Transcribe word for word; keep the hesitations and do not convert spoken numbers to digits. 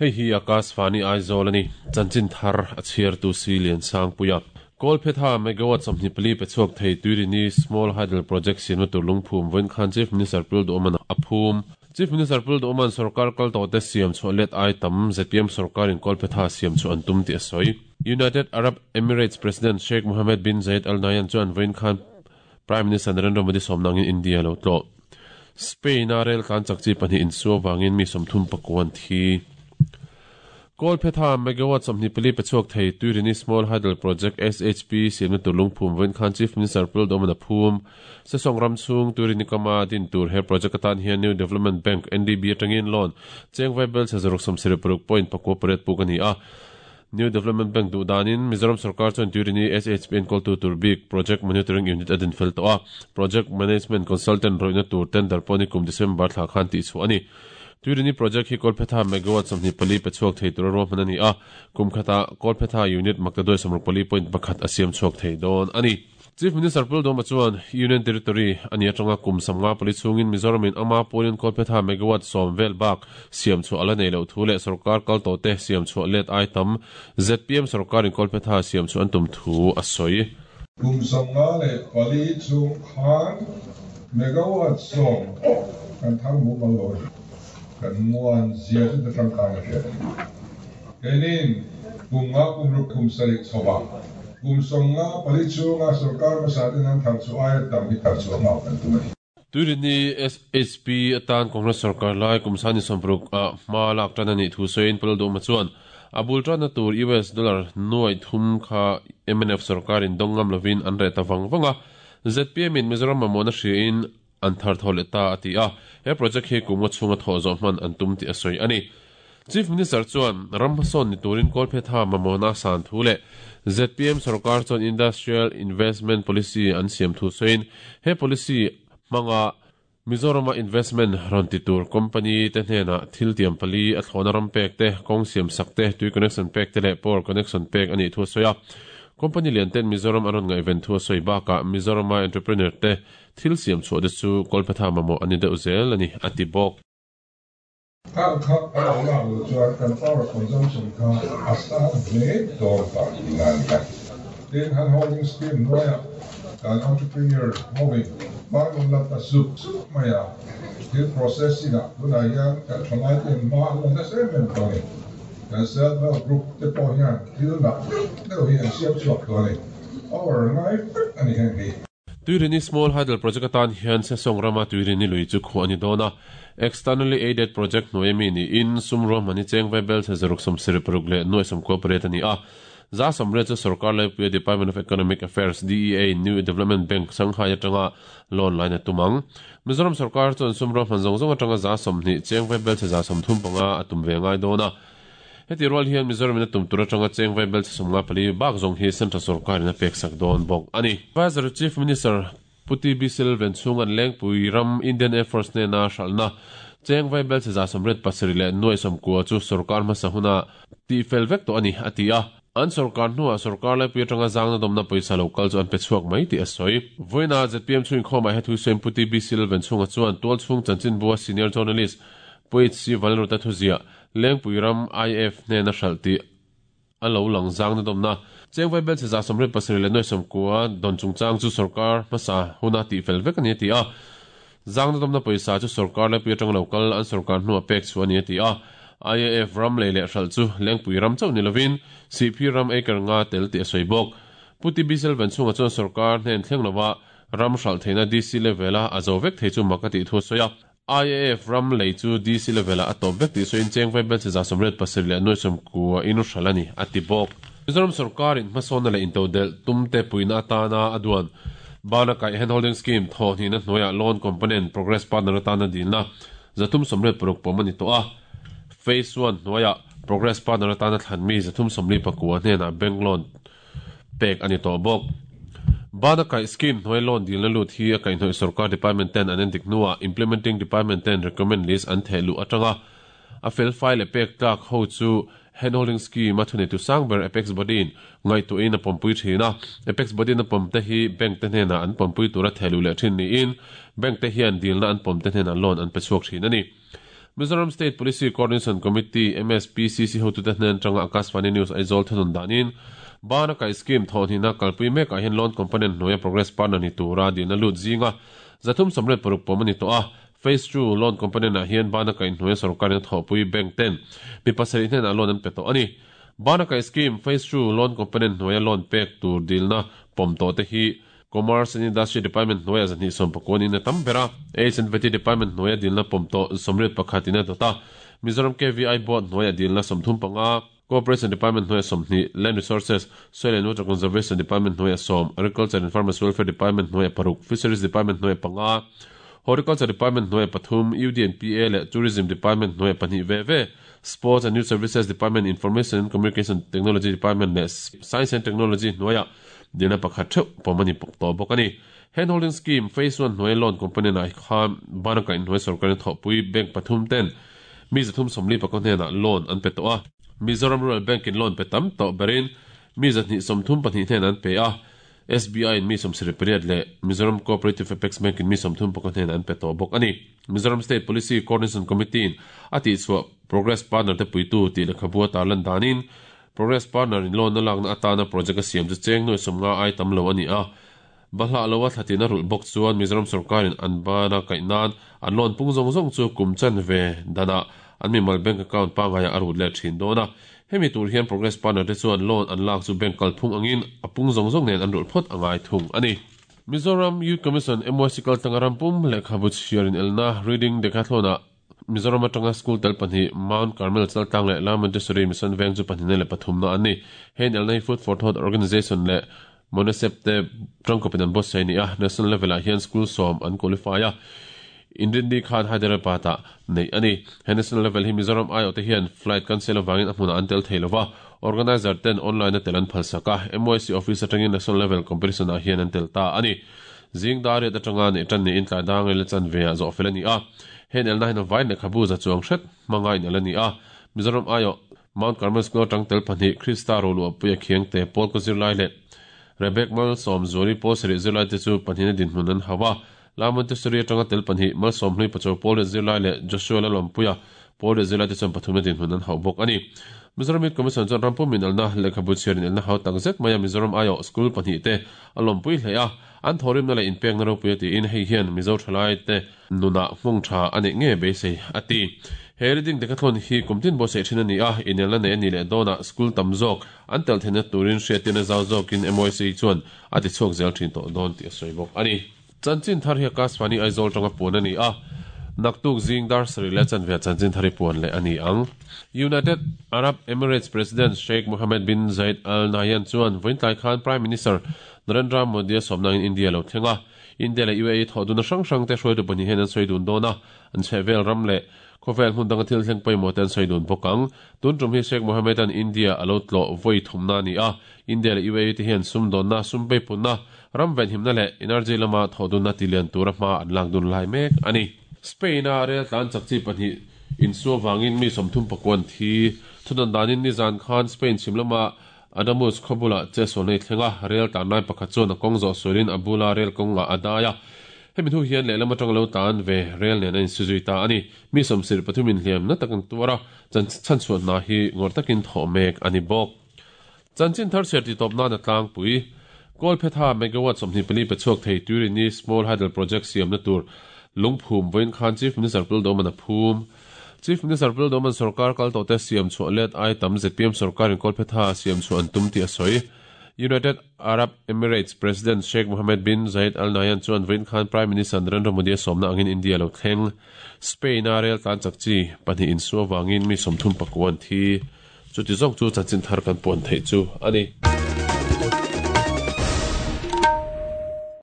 Hei hi Akashvani Aizawl ani chanchin thar a chhiar tu si lian sang puia Kolphetha megawatt sawmhnih pali pe chhuak thei Tuirini Small Hydel Project siamna tur lungphum vawiin khan Chief Minister Pul Duhawman a phum. Chief Minister Pul Duhawman sarkar kal tawh te siam chhuah let ai tam Z P M sarkarin Kolphetha siam chu an tum tih a sawi. United Arab Emirates President Sheikh Mohammed bin Zayed Al Nahyan chuan vawiin khan Prime Minister Narendra Modi sawmna angin India lo tlawh. Spain a rel tlan chak chi pahnih insuo vangin mi sawmthum pakuan thi. Kolphetha megawatt sawmhnih pali pe chhuak thei Tuirini Small Hydel Project S H P siamna tur lungphum vawiin khan Chief Minister Pul Duhawman a phum. Sesawng ram chhung Tuirini kama din tur he project atan hian New Development Bank N D B atangin loan cheng vaibel chazaruk sawmsarih paruk point pakua pariat puk ani a. New Development Bank duh danin Mizoram sarkar chuan Tuirini S H P enkawl tu tur bik Project Monitoring Unit a din fel tawh a. Project Management Consultant rawihna tur tender pawh ni kum December thla khan tih chhuah ani. Tuirini project hi Kolphetha megawatt sawmhnih pali pe chhuak thei tur a ruahman ani a. Kum khata Kolphetha unit makta doi sawmruk pali point pakhat a siam chhuak thei dawn ani. Chief Minister Pul Duhawma chuan Union Territory ani atanga kum samnga pali chungin Mizoramin ama pawlin Kolphetha megawatt sawm vel bak siam chu ala nei lo thu leh sarkar kal tawh te siam chu let ai tam Z P M sarkarin Kolphetha siam chu an tum thu a sawi. Kum samnga leh pali chung khan megawatt sawm kan thar mu mal lo kan muan zia chu ta tangkai a hriat. Keinin kum nga kum ruk kum sarih chhowa kum sawm nga pali chunga sarkar hmasa ten an thar chu aia tam hi thar chu a hma kan tum ani. Tuirini S H P atan Congress sarkar lai kum sani sawmparuk a hma lak tan ani thu sawiin Pul Duhawma chuan a bul tana tur U S dollar nuai thum kha M N F sarkarin dawngam lovin an reh ta vang vanga Z P M in Mizoram mamawhna hriain an thar thaw leh ta a ti a. He project hi kum nga chhunga thaw zawh hman an tum tih a sawi ani. Chief Minister chuan ram hmasawn ni turin Kolphetha mamawhna san thu leh Z P M sarkar chuan Industrial Investment Policy an siam thu sawiin he policy hmanga Mizorama investment rawn ti tur company te hnena thil tiam pali a thlawna ram pek te kawng siam sak te tui connection pek te leh power connection pek ani thu a sawi a. Company lian ten Mizoram a rawn ngaihven thu a sawi bakah Mizorama entrepreneur te thil siam chhuah te chu Kolphetha mamawh ani deuh zel ani a ti bawk. Kha kha a lo lak lo chuan kan power consumption kha a sang hle dawn ta ina ni a. Tin han holding scheme nuaia kan entrepreneur hoving manun lam ta zup zup maia thil processing a tunah hian kan thalai ten hma an la nasa em em tawh ani. Kan self help group te pawh hian thil nak deuh hi an siam chhuak tawh ani. Power ngai vek ani heng hi. Tuirini Small Hydel Project atan hian Sesawng rama Tuirini lui chu khuah ani dawn a. Externally aided project hnuai mi ni in sumruah mani cheng vaibel chazaruk sawmsarih paruk leh nuai sawmkua pariat ani a. Za sawmriat chu sarkar laipuia Department of Economic Affairs D E A New Development Bank Shanghai atanga loan line a tumang. Mizoram sarkar chuan sumruah hman zawng zawng atanga za sawmhnih cheng vaibel chaza sawmthum panga a tum ve ngai dawn a. Heti rual hian Mizoramin a tum tur atanga cheng vaibel chasawmnga pali bak zawng hi Central sarkarin a pek sak dawn bawk ani. Advisor Chief Minister Puti Bisil Venchung an lengpui ram Indian Air Force nena hralhna cheng vaibel chaza sawmriat pasarih leh nuai sawmkua chu sarkar hmasa huna tih fel vek tawh ani a ti a. An sarkar hnuah sarkar laipui atanga zangna dawmna pawisa lo kal chu an pe chhuak mai tih a sawi. Vawiina Z P M chhungin khawmah he thu sawiin Puti Bisil Venchunga chuan tual chhung chanchin bua senior journalist Poet C Vanruta thuzia lengpui ram I F hnena hralh tih a lo lang zangna dawmna cheng vaibel chaza sawmriat pasarih leh nuai sawmkua dawn chungchang chu sarkar hmasa huna tih fel vek ani a ti a. Zangna dawmna pawisa chu sarkar laipui atanga lo kal an sarkar hnuah pek chu ani a ti a. I A F ram lei leh hralh chu lengpui ram chauh ni lovin C P ram acre nga tel tih a sawi bawk. Puti Bisil Venchunga chuan sarkar hnen thleng lova ram hralh theihna D C level a a zo vek thei chu mak a tih thu a sawi a. I A F ram lei chu D C level a a tawp vek tih sawiin cheng vaibel chaza sawmriat pasarih leh nuai sawmkua in hralh ani a ti bawk. Mizoram sarkarin hmasawnna leh intodel tumte puina atana a duan bana kaih handholding scheme thaw hnihna hnuaiah loan component progress partner atana dilna zathum sawmriat paruk pawm ani tawh a. Phase one hnuaiah progress partner atana thlan mi zathum sawmli pakua hnenah bank loan pek ani tawh bawk. Bana kaih scheme hnuai loan dilna lut hi a kaihhnawih sarkar department ten an endik hnuah implementing department ten recommend list an theh luh atanga a fel fai leh pek tlak ho chu handholding scheme a thunei tu sangber Apex Body in ngaihtuahin a pawmpui thin a. Apex Body in a pawm te hi bank te hnenah an pawmpui tura theh luh leh thin niin bank te hian dilna an pawm te hnenah loan an pe chhuak thin ani. Mizoram State Policy Coordination Committee M S P C C hotu te hnen tanga Akashvani News Aizawl thunun danin Bana Kai Scheme thawhnihna kalpui mekah hian loan component hnuaia progress partner ni tura dilna lut zinga zathum sawmriat paruk pawm ani tawh a. Phase two loan component ah hian Bana Kai hnuaia sorkarin a thawhpui bank ten mi pasarih hnenah loan an pe tawh ani. Bana Kai Scheme Phase two loan component hnuaia loan pek tur dilna pawm tawh te hi Commerce and Industry Department hnuaia zahnih sawm pakuan in a tam ber a. H and V T Department hnuaia dilna pawm tawh sawmriat pakhat in a dawt a. Mizoram K V I Board hnuaia dilna sawmthum panga, Cooperation Department hnuaia sawmhnih, Land Resources, Soil and Water Conservation Department hnuaia sawm, Agriculture and Farmers Welfare Department hnuaia paruk, Fisheries Department hnuaia panga, Horticulture Department hnuaia pathum, U D and P A leh Tourism Department hnuaia pahnih ve ve, Sports and Youth Services Department, Information and Communication Technology Department leh Science and Technology hnuaia dilna pakhat theuh pawm ani tawh bawk ani. Hand holding scheme phase one hnuaia loan component ah khan Bana Kai hnuaia sorkarin thawhpui bank pathum ten mi zathum sawmli pakua hnenah loan an pe tawh a. Mizoram Rural Bank in loan pe tam tawh berin mi zahnih sawmthum pahnih hnen an pe a. S B I in mi sawmsarih pariat leh Mizoram Cooperative Apex Bank in mi sawmthum pakua hnen an pe tawh bawk ani. Mizoram State Policy Coordination Committee in a tihchhuah Progress Partner te puitu tih lehkhabu a tarlan danin Progress Partner in loan na lakna atana project a siam chu cheng nuai sawmnga ai tam lo ani a. Bahlah lo a thlatin a rulh bawk chuan Mizoram sorkarin an bana kaihnan an loan pung zawng zawng chu kum chan ve danah an mimal bank account pangaia a rut leh thin dawn a. Hemi tur hian Progress Partner te chuan loan an lak chu bank kalphung angin a pung zawng zawng nen an rulh phawt angai thung ani. Mizoram Youth Commission M Y C kaltanga rampum lehkhabu chhiarin elna reading decathlon-ah Mizoram atanga school tel pahnih Mount Carmel Chaltlang leh La Montessori Mission Veng chu pahnih leh pathumna an ni. Hein elna hi Food for Thought Organization leh Monesep te tangkawpin an buatsaih ni a. National level ah hian school sawm an qualify a. Inrindi khan Hyderabad ah nei ani. He national level hi Mizoram I O te hian flight cancel awangin a hmunah an tel thei lova. Organizer ten online a tel an phalsak a. M Y C office atangin national level competition ah hian an tel ta ani. Zing dariat atanga nei tan ni in tlai dang le chan ve a zawh fel ani a. Hen elna hin a vai lehkhabu za chuang hret hmanga in el ani a. Mizoram I O Mount Carmel School atang tel pahnih Krista Rolu apuia khiang te Paul ko zirlai leh Rebek Mal Sawm Zuali Paul sarih zirlai te chu pahnih na dinhmun an hau a. La Montessori atanga tel pahnih Mal Sawm Hlui Pachaw Paul leh zirlai leh Joshua Lalawmpuia Paul leh zirlai te chuan pathum na dinhmun an hau bawk ani. Mizoram Youth Commission chuan rampum in elna lehkhabu chhiarin elna hau tak zet mai a Mizoram I O school pahnih te a lawmpui hle a. An thawrimna leh inpekna ropui a tiin hei hian Mizo thalai te nunah hmung tha ani nge beisei a ti. He reading decathlon hi kumtin buatsaih thin ani a. Inelna nei ani leh dawnah school tam zawk an tel theihna turin hriatin a zau zawkin M Y C chuan a ti chhuak zel thin tawh dawn tih a sawi bawk ani. Chanchin thar hi Akashvani Aizawl tanga puan ani a. Naktuk zing dar sarih leh chanve a chanchin thar hi puan leh ani ang. United Arab Emirates President Sheikh Mohammed bin Zayed Al Nahyan chuan vawiin khan Prime Minister Narendra Modi a sawmna in India lo thleng a. India leh U A E thawhdun a hrang hrang te hruaitu pahnih hian an sawi dun dawn a. An chhehvel ram leh khawvel hmun danga thil thleng pawimawh te an sawi dun bawk ang. Tun tum hi Sheikh Mohammed an India a lo tlawh vawi thumna ani a. India leh U A E te hian sum dawnna, sum peipunna, ram venhimna leh energy lama thawhdunna tilian tura hma an lak dun lai mek ani. Spain a rel tlan chak chi pahnih in suwa wangin mi sawmthum pakuan thi thunan danin nizan khan Spain chhimlama Adamus khawbula che sawl nei thlenga rel tlan lai pakhat chuan a kawng zawh sualin a bula rel kawnga a dai a. Hemi thu hian lehlam atang lo tan ve rel nen a insuzui ta ani. Mi sawmsir pathum in hliam na takin tuara chan chan chhuat na hi ngawr takin thawh mek ani bawk. Chanchin thar chhiar ti tawp nan a tlangpui Kolphetha megawatt sawmhnih pali pe chhuak thei Turini Small Hydel Project siam na tur lungphum vawiin khan Chief Minister Puldoman a phum. Chief Minister Puldoman sarkar kal tawh te siam chhuah let ai tam Z P M sarkarin Kolphetha siam chhuah an tum tih a sawi. United Arab Emirates President Sheikh Mohammed bin Zayed Al Nahyan chuan vawiin khan Prime Minister Narendra Modi a sawmna angin India lo thleng. Spain a rel tlan chak chi pahnih in suwa wangin mi sawmthum pakuan thi. Chuti zawk chu chanchin thar kan puan theih chu ani.